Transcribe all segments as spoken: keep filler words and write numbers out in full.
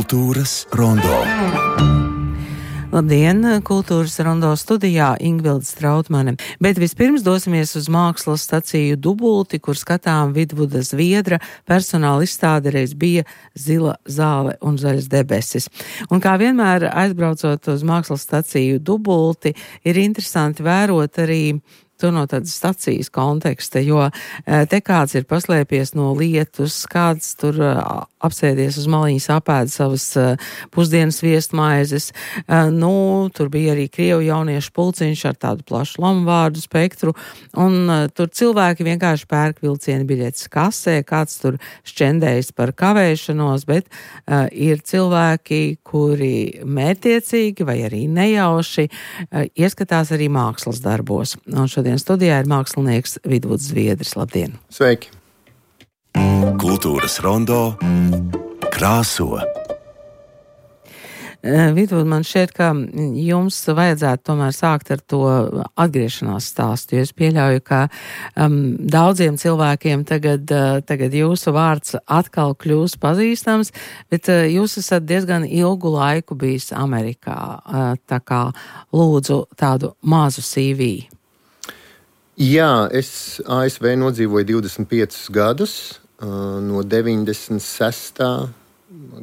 Kultūras rondo. Labdien, Kultūras rondo studijā Ingvilde Strautmane. Bet vispirms dosimies uz mākslas staciju Dubulti, kur skatām Vidvuda Zviedra personāla izstāde reiz bija Zila zāle un zaļas debesis. Un kā vienmēr aizbraucot uz mākslas staciju Dubulti, ir interesanti vērot arī to no tādas stacijas konteksta, jo te kāds ir paslēpies no lietus, kāds tur apsēdies uz maliņas apēd savas pusdienas viestmaizes. Nu, tur bija arī krievu jauniešu pulciņš ar tādu plašu lamuvārdu spektru, un tur cilvēki vienkārši pērk vilciena biļetes kasē, kāds tur šķendējas par kavēšanos, bet uh, ir cilvēki, kuri mērķiecīgi vai arī nejauši uh, ieskatās arī mākslas darbos. Un šodien studijā ir mākslinieks Vidvuds Zviedris. Labdien! Sveiki! Kultūras rondo krāso. Vidvud, man šķiet, ka jums vajadzētu tomēr sākt ar to atgriešanās stāstu, jo es pieļauju, ka um, daudziem cilvēkiem tagad, uh, tagad jūsu vārds atkal kļūs pazīstams, bet uh, jūs esat diezgan ilgu laiku bijis Amerikā, uh, tā kā lūdzu tādu mazu C V. Jā, es A S V nodzīvoju divdesmit piecus gadus, uh, no deviņdesmit sestā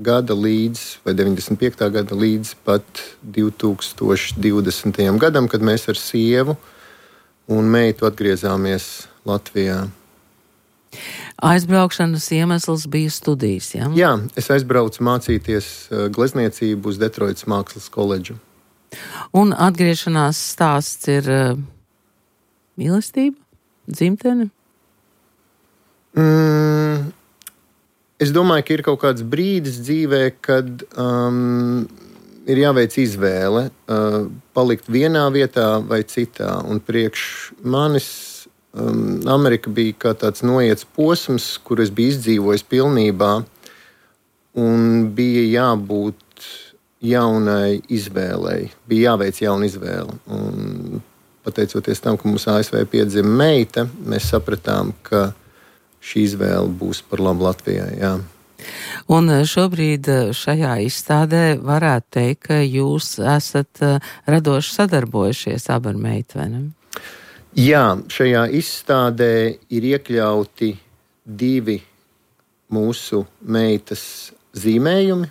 gada līdz, vai deviņdesmit piektā gada līdz pat divi tūkstoši divdesmitajam gadam, kad mēs ar sievu un meitu atgriezāmies Latvijā. Aizbraukšanas iemesls bija studijas, ja? Jā, es aizbraucu mācīties glezniecību uz Detroitas mākslas koledžu. Un atgriešanās stāsts ir uh, mīlestība, dzimtene? Mm. Es domāju, ka ir kaut kāds brīdis dzīvē, kad um, ir jāveic izvēle, uh, palikt vienā vietā vai citā. Un priekš manis um, Amerika bija kā tāds noiets posms, kur es biju izdzīvojis pilnībā, un bija jābūt jaunai izvēlei, bija jāveic jauna izvēle. Un, pateicoties tam, ka mums A S V piedzima meita, mēs sapratām, ka šī izvēle būs par labu Latvijai, jā. Un šobrīd šajā izstādē varētu teikt, ka jūs esat radoši sadarbojušies abi ar meitu, vai ne? Jā, šajā izstādē ir iekļauti divi mūsu meitas zīmējumi,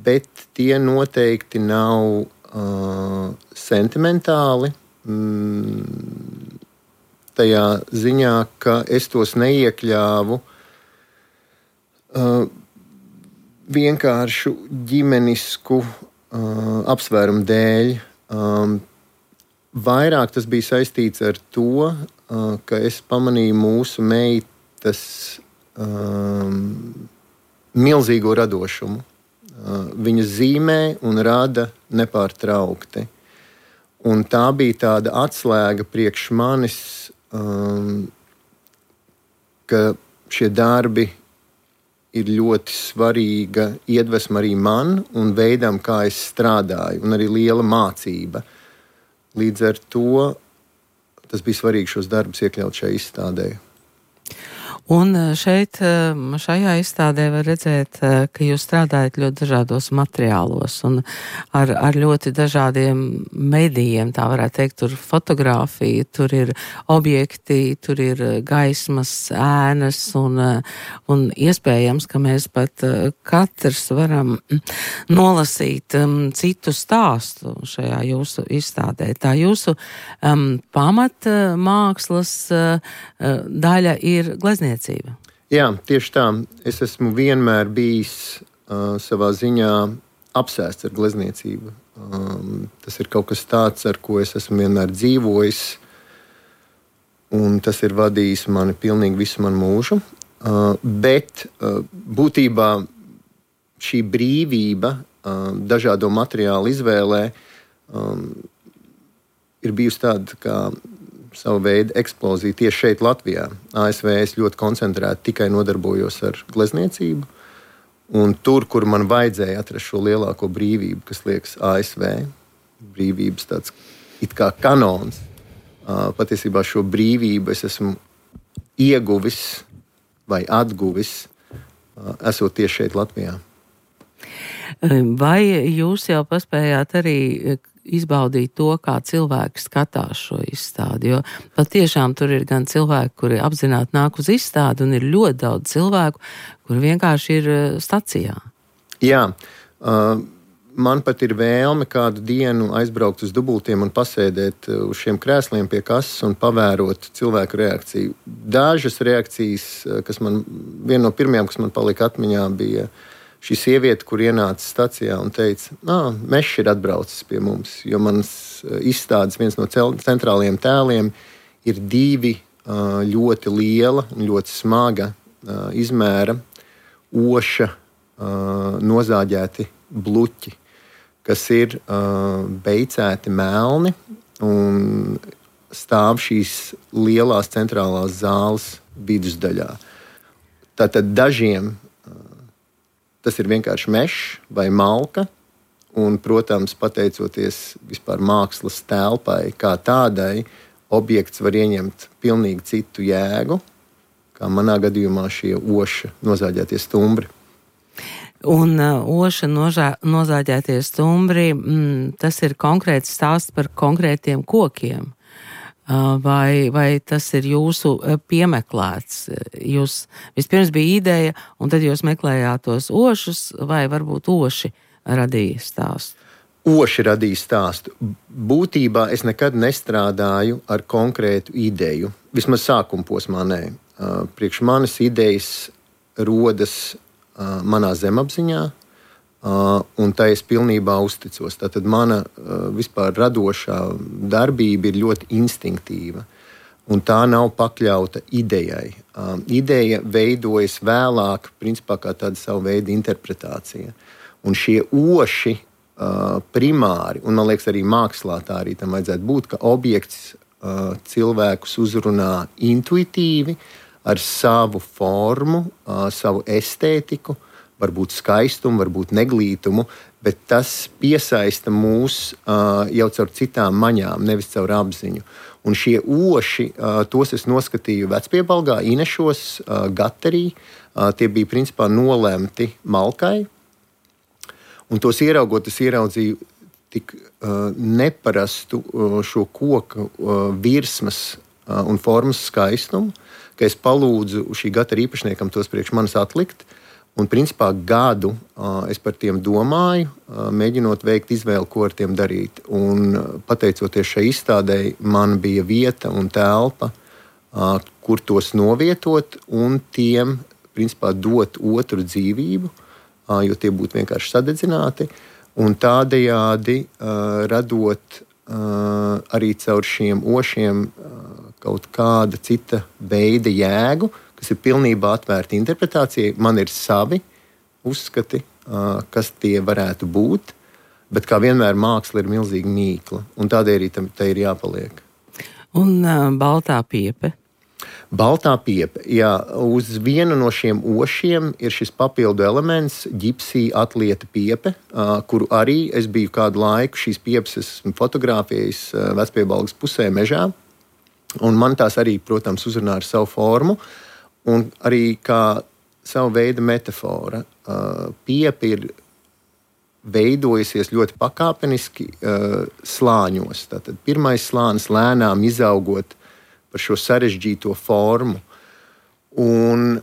bet tie noteikti nav sentimentāli, tajā ziņā, ka es tos neiekļāvu uh, vienkāršu ģimenisku uh, apsvērumu dēļ. Um, vairāk tas bija saistīts ar to, uh, ka es pamanīju mūsu meitas um, milzīgo radošumu. Uh, viņa zīmē un rada nepārtraukti. Un tā bija tāda atslēga priekš manis, Um, ka šie darbi ir ļoti svarīga iedvesma arī man un veidam, kā es strādāju, un arī liela mācība. Līdz ar to tas bija svarīgi šos darbus iekļaut šajā izstādē. Un šeit, šajā izstādē var redzēt, ka jūs strādājat ļoti dažādos materiālos un ar, ar ļoti dažādiem medijiem, tā varētu teikt, tur fotogrāfija, tur ir objekti, tur ir gaismas, ēnas un, un iespējams, ka mēs pat katrs varam nolasīt um, citu stāstu šajā jūsu izstādē. Tā jūsu um, pamat mākslas uh, daļa ir glezniecība. Jā, tieši tā. Es esmu vienmēr bijis uh, savā ziņā apsēsts ar glezniecību. Um, tas ir kaut kas tāds, ar ko es esmu vienmēr dzīvojis, un tas ir vadījis mani pilnīgi visu manu mūžu. Uh, bet uh, būtībā šī brīvība uh, dažādo materiālu izvēlē um, ir bijusi tāda kā savu veidu eksplozija tieši šeit Latvijā. A S V es ļoti koncentrēti tikai nodarbojos ar glezniecību, un tur, kur man vajadzēja atrast šo lielāko brīvību, kas liekas A S V, brīvības tāds it kā kanons, patiesībā šo brīvību es esmu ieguvis vai atguvis, esot tieši šeit Latvijā. Vai jūs jau paspējāt arī izbaudīt to, kā cilvēki skatās šo izstādi? Jo patiešām tur ir gan cilvēki, kuri apzināti nāk uz izstādi, un ir ļoti daudz cilvēku, kuri vienkārši ir stacijā. Jā, uh, man pat ir vēlme kādu dienu aizbraukt uz dubultiem un pasēdēt uz šiem krēsliem pie kases un pavērot cilvēku reakciju. Dažas reakcijas, kas man, viena no pirmajām, kas man palika atmiņā, bija šī sieviete, kur ienāca stacijā un teica, nā, Mešs ir atbraucis pie mums, jo manas izstādes viens no centrālajiem tēliem ir divi uh, ļoti liela un ļoti smaga uh, izmēra oša uh, nozāģēti bluķi, kas ir uh, beicēti melni un stāv šīs lielās centrālās zāles vidusdaļā. Tātad dažiem tas ir vienkārši mežs vai malka, un, protams, pateicoties vispār mākslas telpai kā tādai, objekts var ieņemt pilnīgi citu jēgu, kā manā gadījumā šie oša nozāģētie stumbri. Un uh, oša nožā, nozāģētie stumbri, mm, tas ir konkrēts stāsts par konkrētiem kokiem. Uh, vai, vai tas ir jūsu piemeklēts? Jūs vispirms bija ideja, un tad jūs meklējāt tos ošus, vai varbūt oši radīja stāstu? Oši radīja stāstu. Būtībā es nekad nestrādāju ar konkrētu ideju. Vismaz sākuma posmā nē. Uh, priekš manas idejas rodas uh, manā zemapziņā, Uh, un tā es pilnībā uzticos. Tātad mana uh, vispār radošā darbība ir ļoti instinktīva, un tā nav pakļauta idejai. Uh, ideja veidojas vēlāk, principā kā tāda savu veidu interpretācija. Un šie oši uh, primāri, un man liekas arī mākslā tā arī tam vajadzētu būt, ka objekts uh, cilvēkus uzrunā intuitīvi ar savu formu, uh, savu estētiku, varbūt skaistumu, varbūt neglītumu, bet tas piesaista mūs uh, jau caur citām maņām, nevis caur apziņu. Un šie oši, uh, tos es noskatīju Vecpiebalgā, Inešos, uh, Gaterī. Uh, tie bija principā nolemti malkai. Un tos ieraugot, es ieraudzīju tik uh, neparastu uh, šo koku uh, virsmas uh, un formas skaistumu, ka es palūdzu šī Gatera īpašniekam tos priekš manis atlikt. Un, principā, gadu uh, es par tiem domāju, uh, mēģinot veikt izvēli, ko ar tiem darīt. Un, uh, pateicoties šai izstādei, man bija vieta un telpa, uh, kur tos novietot un tiem, principā, dot otru dzīvību, uh, jo tie būtu vienkārši sadedzināti. Un tādējādi uh, radot uh, arī caur šiem ošiem uh, kaut kāda cita veida jēgu, kas ir pilnībā atvērti interpretācijai. Man ir savi uzskati, kas tie varētu būt, bet kā vienmēr māksla ir milzīga mīkla, un tādēļ arī tam te ir jāpaliek. Un uh, baltā piepe? Baltā piepe, jā. Uz vienu no šiem ošiem ir šis papildu elements, ģipsija atlieta piepe, uh, kuru arī es biju kādu laiku, šīs piepes esmu fotografējis uh, Vecpiebalgas pusē mežā, un man tās arī, protams, uzrunā ar savu formu, un arī kā savu veidu metafora. Uh, piepa ir veidojusies ļoti pakāpeniski uh, slāņos. Tātad pirmais slānis lēnām izaugot par šo sarežģīto formu. Un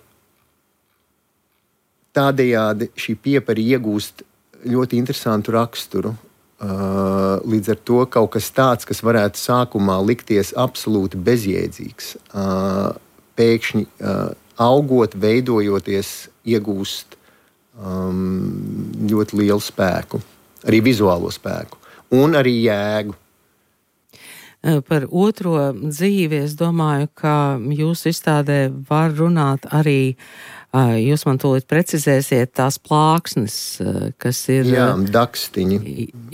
tādējādi šī piepa arī iegūst ļoti interesantu raksturu. Uh, līdz ar to kaut kas tāds, kas varētu sākumā likties absolūti bezjēdzīgs, uh, pēkšņi uh, augot, veidojoties, iegūst um, ļoti lielu spēku, arī vizuālo spēku un arī jēgu. Par otro dzīvi es domāju, ka jūsu izstādē var runāt arī, jūs man tūlīt precizēsiet, tās plāksnes, kas ir... Jā, dakstiņi.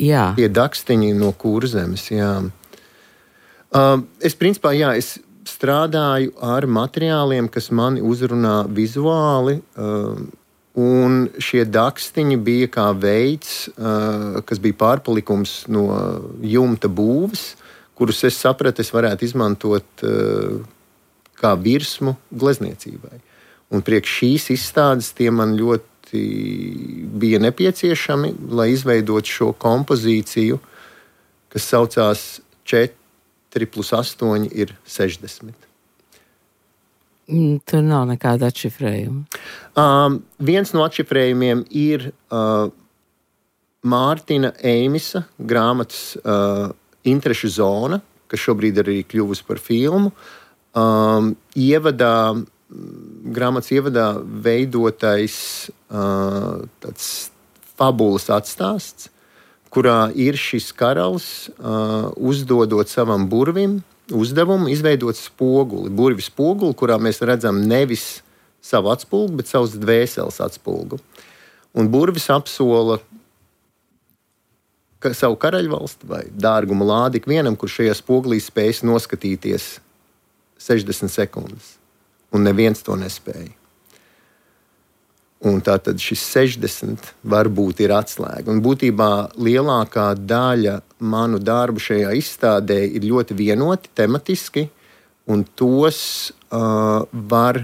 Jā. Tie dakstiņi no Kurzemes, jā. Uh, es principā, jā, es strādāju ar materiāliem, kas mani uzrunā vizuāli, uh, un šie dakstiņi bija kā veids, uh, kas bija pārpalikums no jumta būves, kurus es sapratu, es varētu izmantot uh, kā virsmu glezniecībai. Un priekš šīs izstādes tie man ļoti ļoti bija nepieciešami, lai izveidotu šo kompozīciju, kas saucās četri plus astoņi ir sešdesmit. Tur nav nekāda atšifrējuma. Um, viens no atšifrējumiem ir uh, Mārtiņa Eimisa grāmatas uh, Interešu zona, kas šobrīd arī kļuvusi par filmu. Um, ievadā, grāmatas ievadā veidotais uh, tāds fabulas atstāsts, kurā ir šis karalis uh, uzdodot savam burvim uzdevumu izveidot spoguli, burvi spoguli, kurā mēs redzam nevis savu atspulgu, bet savus dvēseles atspulgu. Un burvis apsola ka savu karaļvalsti vai dārguma lādi ikvienam, kurš šajā spogulī spējas noskatīties sešdesmit sekundes. Un neviens to nespēja. Un tātad šis sešdesmit varbūt ir atslēga. Un būtībā lielākā daļa manu darbu šajā izstādē ir ļoti vienoti, tematiski, un tos uh, var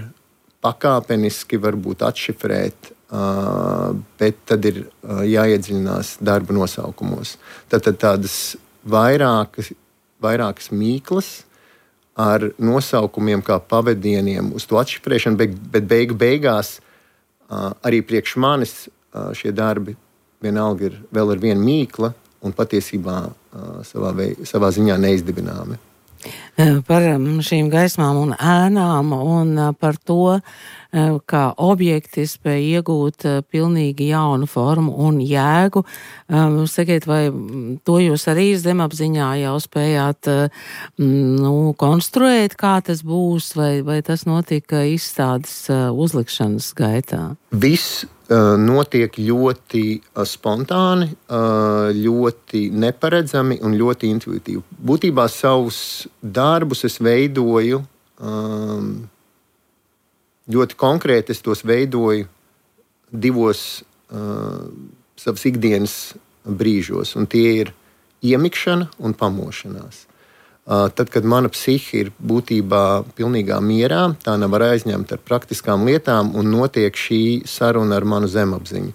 pakāpeniski varbūt atšifrēt, uh, bet tad ir uh, jāiedziļinās darba nosaukumos. Tātad tādas vairākas, vairākas mīklas ar nosaukumiem kā pavadieniem uz to atšifrēšanu, bet, bet beigu beigās Uh, arī priekš manis uh, šie darbi vienalga ir vēl ar vienu mīkla un patiesībā uh, savā, vei, savā ziņā neizdibināmi. Par šīm gaismām un ēnām un par to, kā objekti spēja iegūt pilnīgi jaunu formu un jēgu. Sakiet, vai to jūs arī zemapziņā jau spējāt nu, konstruēt, kā tas būs, vai, vai tas notika izstādes uzlikšanas gaitā? Viss notiek ļoti spontāni, ļoti neparedzami un ļoti intuitīvi. Būtībā savus darbus es veidoju ļoti konkrēti, es tos veidoju divos savas ikdienas brīžos, un tie ir iemikšana un pamošanās. Tad, kad mana psihe ir būtībā pilnīgā mierā, tā nav aizņemta ar praktiskām lietām un notiek šī saruna ar manu zemapziņu.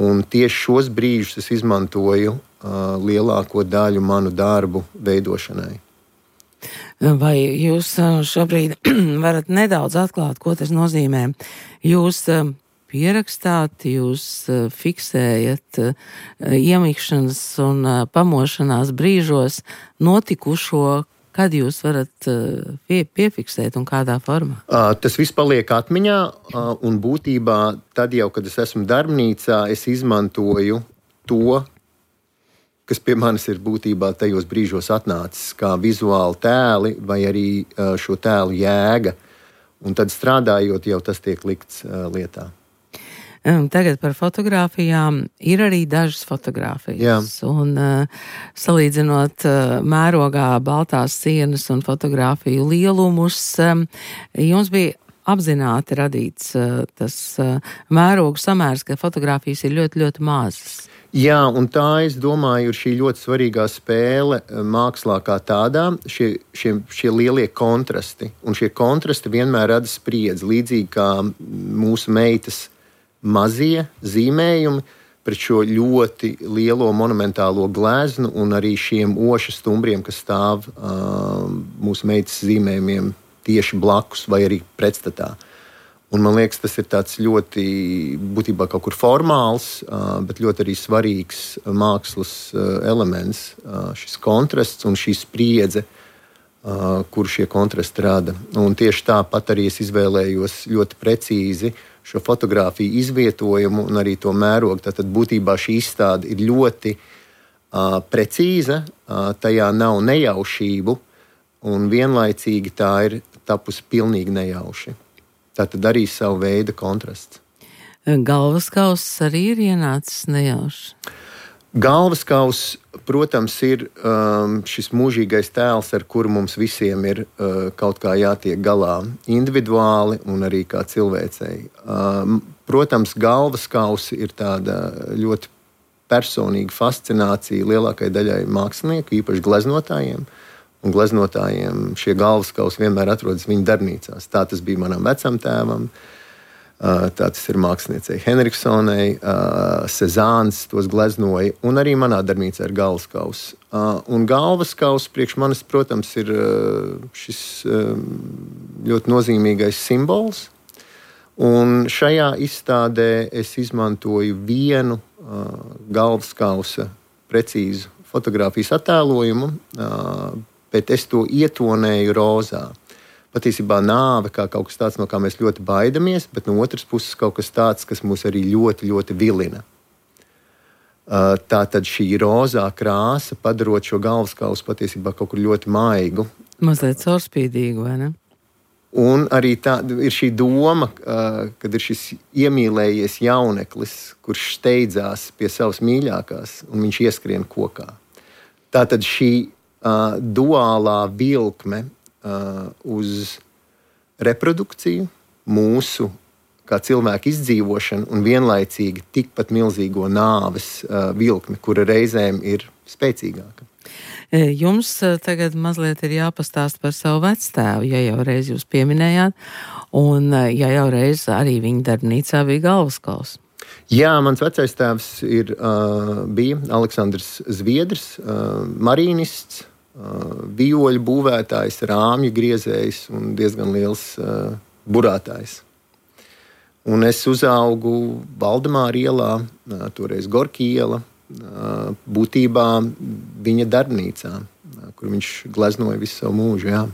Un tieši šos brīžus es izmantoju uh, lielāko daļu manu darbu veidošanai. Vai jūs šobrīd varat nedaudz atklāt, ko tas nozīmē? Jūs pierakstāt, jūs fiksējat iemikšanas un pamošanās brīžos notikušo, kad jūs varat pie, piefiksēt un kādā formā? Tas viss paliek atmiņā, un būtībā tad jau, kad es esmu darbnīcā, es izmantoju to, kas pie manis ir būtībā tajos brīžos atnācis, kā vizuāli tēli vai arī šo tēlu jēga. Un tad strādājot, jau tas tiek likts lietā. Tagad par fotogrāfijām ir arī dažas fotogrāfijas. Jā. Un uh, salīdzinot uh, mērogā baltās sienas un fotogrāfiju lielumus, um, jums bija apzināti radīts uh, tas uh, mērogu samērs, ka fotogrāfijas ir ļoti, ļoti mazas. Jā, un tā, es domāju, ir šī ļoti svarīgā spēle mākslā kā tādā, šie, šie, šie lielie kontrasti. Un šie kontrasti vienmēr rada spriedzi, līdzīgi kā mūsu meitas mazie zīmējumi pret šo ļoti lielo monumentālo gleznu un arī šiem oša stumbriem, kas stāv uh, mūsu meitas zīmējumiem tieši blakus vai arī pretstatā. Un man liekas, tas ir tāds ļoti, būtībā kaut kur formāls, uh, bet ļoti arī svarīgs mākslas uh, elements, uh, šis kontrasts un šī spriedze, uh, kur šie kontrasti rada. Un tieši tāpat arī es izvēlējos ļoti precīzi šo fotogrāfiju izvietojumu un arī to mērogu. Tātad būtībā šī izstāde ir ļoti uh, precīza, uh, tajā nav nejaušību un vienlaicīgi tā ir tapusi pilnīgi nejauši. Tātad arī savu veidu kontrasts. Galvaskauss arī ir ienācis nejauši. Galvaskauss, protams, ir um, šis mūžīgais tēls, ar kuru mums visiem ir uh, kaut kā jātiek galā individuāli un arī kā cilvēcei. Um, protams, galvaskauss ir tāda ļoti personīga fascinācija lielākajai daļai mākslinieku, īpaši gleznotājiem. Un gleznotājiem šie galvaskausi vienmēr atrodas viņu darbnīcās. Tā tas bija manam vecam tēvam. Tā tas ir māksliniecei Henriksonai, Sezāns tos gleznoja, un arī manā darbnīcā ir galvaskauss. Un galvaskauss priekš manis, protams, ir šis ļoti nozīmīgais simbols. Un šajā izstādē es izmantoju vienu galvaskausa precīzu fotogrāfijas attēlojumu, bet es to ietonēju rozā. Patiesībā nāve kā kaut kas tāds, no kā mēs ļoti baidamies, bet no otras puses kaut kas tāds, kas mūs arī ļoti, ļoti vilina. Tā tad šī rozā krāsa, padarot šo galvaskausu patiesībā kaut kur ļoti maigu. Mazliet caurspīdīgu, vai ne? Un arī tā ir šī doma, kad ir šis iemīlējies jauneklis, kurš steidzās pie savas mīļākās, un viņš ieskrien kokā. Tātad šī uh, duālā vilkme uh, uz reprodukciju, mūsu kā cilvēku izdzīvošanu un vienlaicīgi tikpat milzīgo nāves uh, vilkmi, kura reizēm ir spēcīgāka. Jums tagad mazliet ir jāpastāst par savu vectēvu, ja jau reiz jūs pieminējāt, un ja jau reiz arī viņa darbnīcā bija galvaskauss. Jā, mans vecais tēvs ir, uh, bija Aleksandrs Zviedrs, uh, marīnists, uh, vioļu būvētājs, rāmju griezējs un diezgan liels uh, burātājs. Un es uzaugu Valdemāra ielā, uh, toreiz Gorki iela, uh, būtībā viņa darbnīcā, uh, kur viņš gleznoja visu savu mūžu. Jā.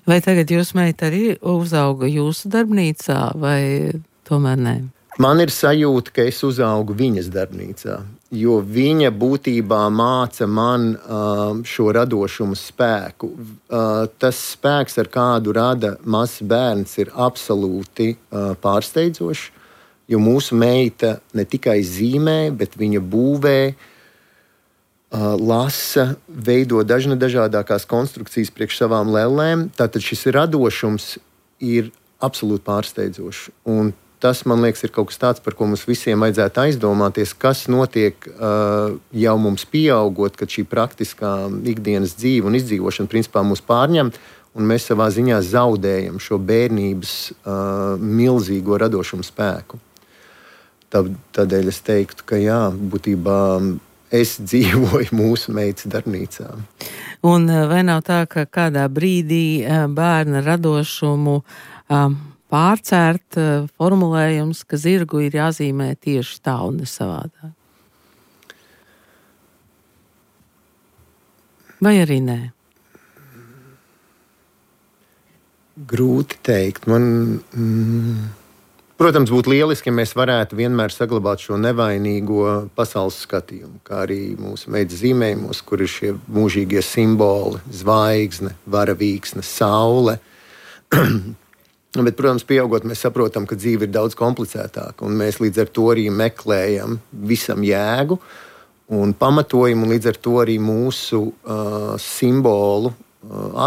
Vai tagad jūs meita arī uzauga jūsu darbnīcā, vai tomēr nē? Man ir sajūta, ka es uzaugu viņas darbnīcā, jo viņa būtībā māca man uh, šo radošumu spēku. Uh, tas spēks, ar kādu rada mazs bērns, ir absolūti uh, pārsteidzošs, jo mūsu meita ne tikai zīmē, bet viņa būvē, uh, lasa, veido dažna dažādākās konstrukcijas priekš savām lellēm. Tātad šis radošums ir absolūti pārsteidzošs. Un tas, man liekas, ir kaut kas tāds, par ko mums visiem vajadzētu aizdomāties, kas notiek uh, jau mums pieaugot, kad šī praktiskā ikdienas dzīve un izdzīvošana principā mūs pārņem, un mēs savā ziņā zaudējam šo bērnības uh, milzīgo radošumu spēku. Tad, tādēļ es teiktu, ka jā, būtībā es dzīvoju mūsu meitas darbnīcā. Un vai nav tā, ka kādā brīdī bērna radošumu um, pārcērt uh, formulējums, ka zirgu ir jāzīmē tieši tā un ne savādāk? Vai arī nē? Grūti teikt. Man, mm, protams, būtu lieliski, ja mēs varētu vienmēr saglabāt šo nevainīgo pasaules skatījumu, kā arī mūsu meitas zīmējumos, kur ir šie mūžīgie simboli, zvaigzne, varavīksne, saule. Bet, protams, pieaugot, mēs saprotam, ka dzīve ir daudz komplicētāka, un mēs līdz ar to arī meklējam visam jēgu un pamatojumu, un līdz ar to arī mūsu uh, simbolu uh,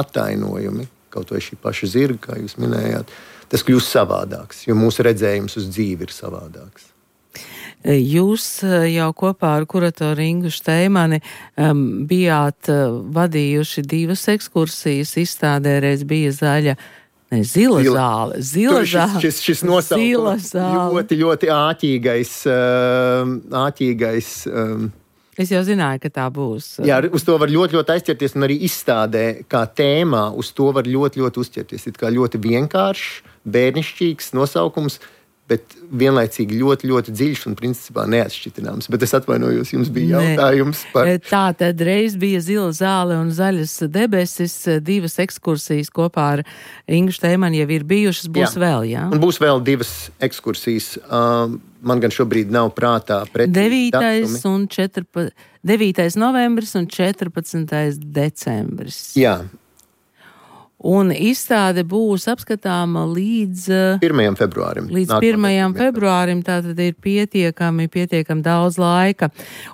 attainojumi, kaut vai šī paša zirga, kā jūs minējāt, tas kļūst savādāks, jo mūsu redzējums uz dzīvi ir savādāks. Jūs jau kopā ar kuratoru Ingu Šteimani um, bijāt uh, vadījuši divas ekskursijas, izstādē reiz bija zaļa, ne, zila, zila zāle. Zila zāle. Šis, šis nosaukums ļoti, ļoti āķīgais. Uh, āķīgais um, Es jau zināju, ka tā būs. Jā, uz to var ļoti, ļoti aizķerties, un arī izstādē kā tēmā uz to var ļoti, ļoti uzķerties. Ir kā ļoti vienkāršs, bērnišķīgs nosaukums, bet vienlaicīgi ļoti, ļoti dziļš un principā neatšķitināms. Bet es atvainojos, jums bija jautājums par... Tā tad reiz bija zila zāle un zaļas debesis, divas ekskursijas kopā ar Ingu Šteimani jau ir bijušas, būs jā. vēl, jā? Un būs vēl divas ekskursijas. Um, man gan šobrīd nav prātā precīzi datumi. un četrpadsmitais devītais novembris un četrpadsmitais decembris. Jā. Un izstāde būs apskatāma līdz pirmajam februārim. Līdz pirmajam februārim, tātad ir pietiekami, pietiekami daudz laika.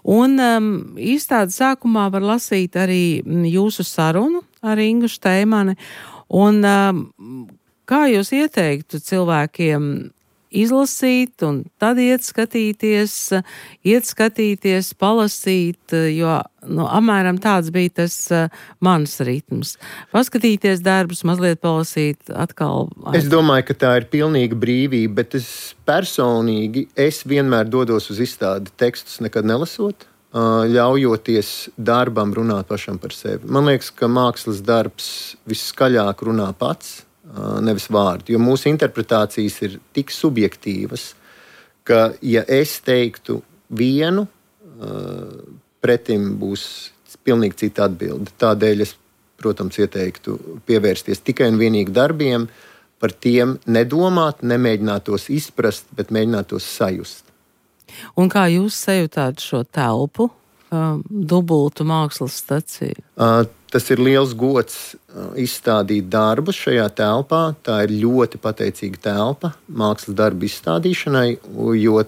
Un um, izstāde sākumā var lasīt arī jūsu sarunu ar Ingu Šteimani. Un um, kā jūs ieteiktu cilvēkiem izlasīt un tad iet skatīties, iet skatīties, palasīt, jo nu, apmēram tāds bija tas uh, mans ritms. Paskatīties darbus, mazliet palasīt, atkal. Es domāju, ka tā ir pilnīga brīvība, bet es personīgi, es vienmēr dodos uz izstādi tekstus nekad nelasot, uh, ļaujoties darbam runāt pašam par sevi. Man liekas, ka mākslas darbs visskaļāk runā pats, nevis vārdu, jo mūsu interpretācijas ir tik subjektīvas, ka, ja es teiktu vienu, pretim būs pilnīgi cita atbilde. Tādēļ es, protams, ieteiktu pievērsties tikai un vienīgi darbiem, par tiem nedomāt, nemēģināt tos izprast, bet mēģināt tos sajust. Un kā jūs sajūtāt šo telpu, dubultu mākslas staciju? Tas ir liels gods izstādīt darbus šajā telpā. Tā ir ļoti pateicīga telpa mākslas darbu izstādīšanai, jo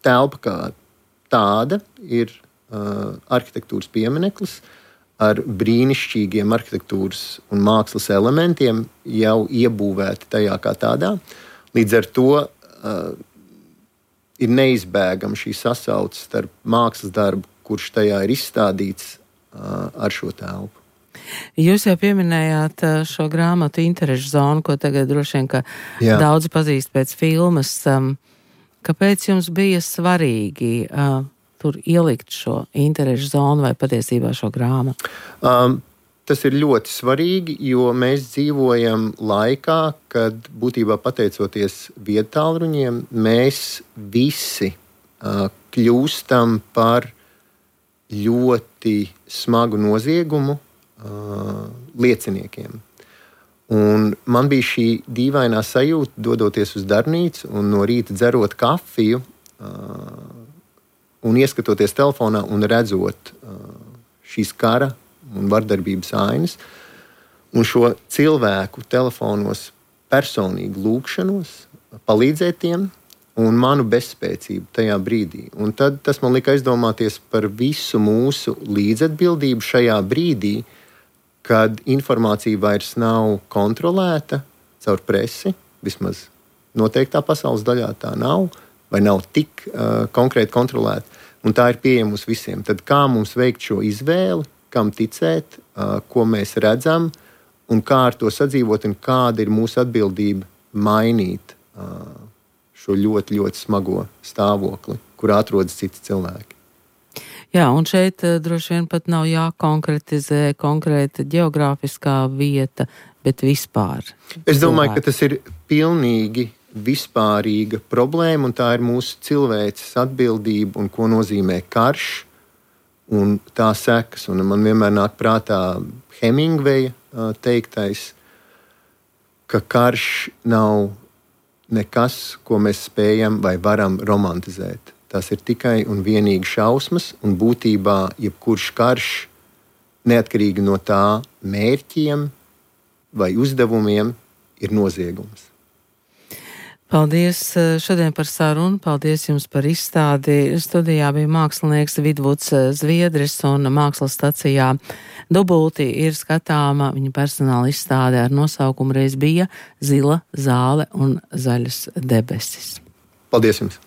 telpa kā tāda ir uh, arhitektūras piemineklis ar brīnišķīgiem arhitektūras un mākslas elementiem jau iebūvēti tajā kā tādā. Līdz ar to uh, ir neizbēgama šī sasauce starp mākslas darbu, kurš tajā ir izstādīts, ar šo telpu. Jūs jau pieminējāt šo grāmatu interešu zonu, ko tagad droši vien, ka Jā. daudzi pazīst pēc filmas. Kāpēc jums bija svarīgi uh, tur ielikt šo interešu zonu vai patiesībā šo grāmatu? Um, tas ir ļoti svarīgi, jo mēs dzīvojam laikā, kad būtībā pateicoties viedtālruņiem, mēs visi uh, kļūstam par ļoti smagu noziegumu uh, lieciniekiem. Un man bija šī dīvainā sajūta, dodoties uz darbnīcu un no rīta dzerot kafiju uh, un ieskatoties telefonā un redzot uh, šīs kara un vardarbības ainas un šo cilvēku telefonos personīgi lūgšanos, palīdzēt tiem, un manu bezspēcību tajā brīdī. Un tad tas man lika aizdomāties par visu mūsu līdzatbildību šajā brīdī, kad informācija vairs nav kontrolēta caur presi, vismaz noteiktā pasaules daļā tā nav, vai nav tik uh, konkrēti kontrolēta, un tā ir pieejama mums visiem. Tad kā mums veikt šo izvēli, kam ticēt, uh, ko mēs redzam, un kā ar to sadzīvot, un kāda ir mūsu atbildība mainīt uh, šo ļoti, ļoti smago stāvokli, kur atrodas citi cilvēki. Jā, un šeit uh, droši vien pat nav jākonkretizē konkrēta geogrāfiskā vieta, bet vispār. Es domāju, ka tas ir pilnīgi vispārīga problēma, un tā ir mūsu cilvēces atbildība, un ko nozīmē karš, un tā sekas. Un man vienmēr nāk prātā Hemingveja uh, teiktais, ka karš nav nekas, ko mēs spējam vai varam romantizēt. Tas ir tikai un vienīgi šausmas, un būtībā jebkurš karš, neatkarīgi no tā mērķiem vai uzdevumiem, ir noziegums. Paldies šodien par sarunu, paldies jums par izstādi. Studijā bija mākslinieks Vidvuds Zviedris, un mākslas stacijā Dubulti ir skatāma viņa personāla izstāde ar nosaukumu reiz bija Zila zāle un zaļas debesis. Paldies jums!